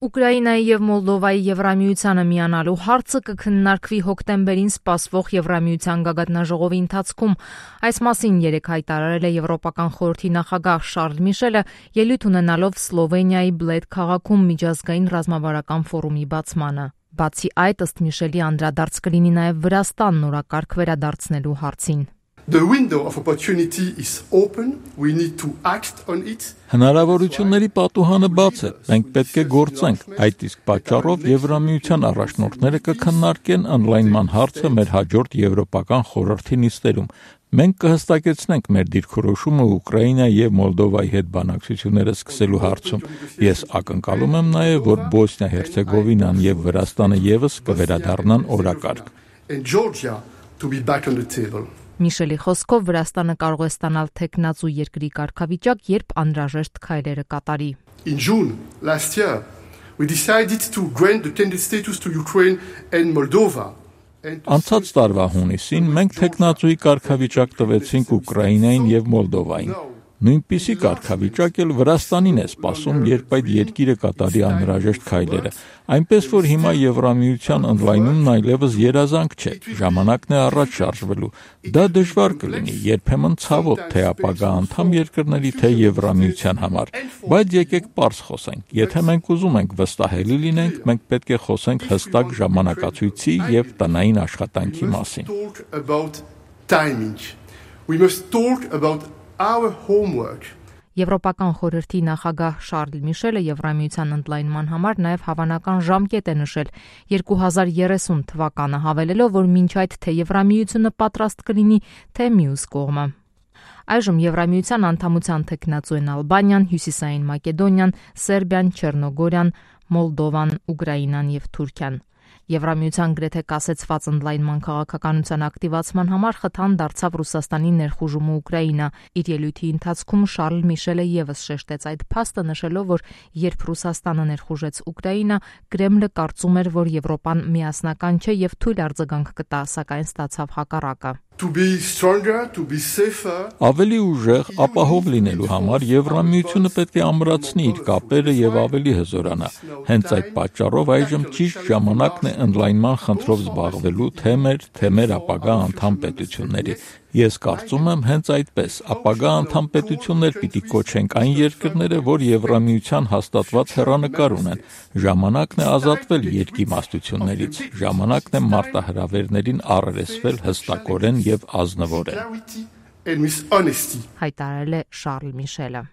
Ուկրաինայի եւ Մոլդովայի Եվրամիությանը միանալու հարցը կքննարկվի հոկտեմբերին սպասվող Եվրամիության գագաթնաժողովի ընթացքում։ Այս մասին երեկ հայտարարել է Եվրոպական խորհրդի նախագահ Շարլ Միշելը, ելույթ ունենալով Սլովենիայի Բլեդ քաղաքում միջազգային ռազմավարական ֆորումի բացմանը։ Բացի այդ, ըստ Միշելի, անդրադարձ կլինի նաև Վրաստանն օրակարգ վերադարձնելու հարցին։ The window of opportunity is open. We need to act on it. Հնարավորությունների պատուհանը բաց է, մենք պետք է գործենք, այդ իսկ պատճառով Եվրամիության առաջնորդները կքննարկեն ընդլայնման հարցը մեր հաջորդ Եվրոպական խորհրդի նիստերում։ Մենք կհստակեցնենք մեր դիրքորոշումը Ուկրաինայի եւ Մոլդովայի հետ բանակցությունները սկսելու հարցում։ Ես ակնկալում եմ նաեւ, որ Բոսնիա-Հերցեգովինան եւ Վրաստանը եւս կվերադառնան օրակարգ։ And Georgia to be back on the table. Միշելի խոսքով Վրաստանը կարող է ստանալ թեկնածու երկրի կարգավիճակ, երբ անհրաժեշտ քայլերը կատարի։ In June last year, we decided to grant the candidate status to Ukraine and Moldova. Անցած տարվա հունիսին մենք թեկնածուի կարգավիճակ տվեցինք Ուկրաինային եւ Մոլդովային։ Նույնպիսի կարգավիճակ էլ Վրաստանին է սպասում, երբ այդ երկիրը կատարի անհրաժեշտ քայլերը։ Այնպես որ հիմա Եվրամիության ընդլայնումն այլևս երազանք չէ, ժամանակն է առաջ շարժվելու։ Դա դժվար կլինի, երբեմն ցավոտ, թե ապագա անդամ երկրների, թե Եվրամիության համար։ Բայց եկեք պարզ խոսենք, եթե մենք ուզում ենք վստահելի լինենք, մենք պետք է խոսենք հստակ ժամանակացույցի եւ տնային աշխատանքի մասին։ We must talk about our homework. Եվրոպական խորհրդի նախագահ Շարլ Միշելը Եվրամիության ընդլայնման համար նաև հավանական ժամկետ է նշել 2030 թվականը, հավելելով, որ մինչ այդ թե Եվրամիությունը պատրաստ կլինի, թե մյուս կողմը։ Այժմ Եվրամիության անդամության թեկնածու են Ալբանիան, Հյուսիսային Մակեդոնիան, Սերբիան, Չեռնոգորիան, Մոլդովան, Ուկրաինան եւ Թուրքիան։ Եվրամիության գրեթե կասեցված ընդլայնման քաղաքականության ակտիվացման համար խթան դարձավ Ռուսաստանի ներխուժումը Ուկրաինա։ Իր ելույթի ընթացքում Շարլ Միշելը եւս շեշտեց այդ փաստը, նշելով, որ երբ Ռուսաստանը ներխուժեց Ուկրաինա, Կրեմլը կարծում էր, որ Եվրոպան միասնական չէ եւ թույլ արձագանք կտա, սակայն ստացավ հակառակը։ To be stronger, to be safer. Ավելի ուժեղ, ապահով լինելու համար Եվրամիությունը պետք է ամրացնի իր կապերը եւ ավելի հզորանա։ Հենց այդ պատճառով այժմ ճիշտ ժամանակն է ընդլայնման խնդրով զբաղվելու թե մեր ապագա անդամ պետությունների։ Ես կարծում եմ հենց այդպես, ապագա անդամ պետություններ պիտի կոչենք այն երկրները, որ Եվրամիության հաստատված հեռանկար ունեն։ Ժամանակն է ազատվել երկիմաստություններից, ժամանակն է մարտահրավերներին առերեսվել հստակորեն եւ ազնվորեն։ Հայտարարել է Շարլ Միշելը։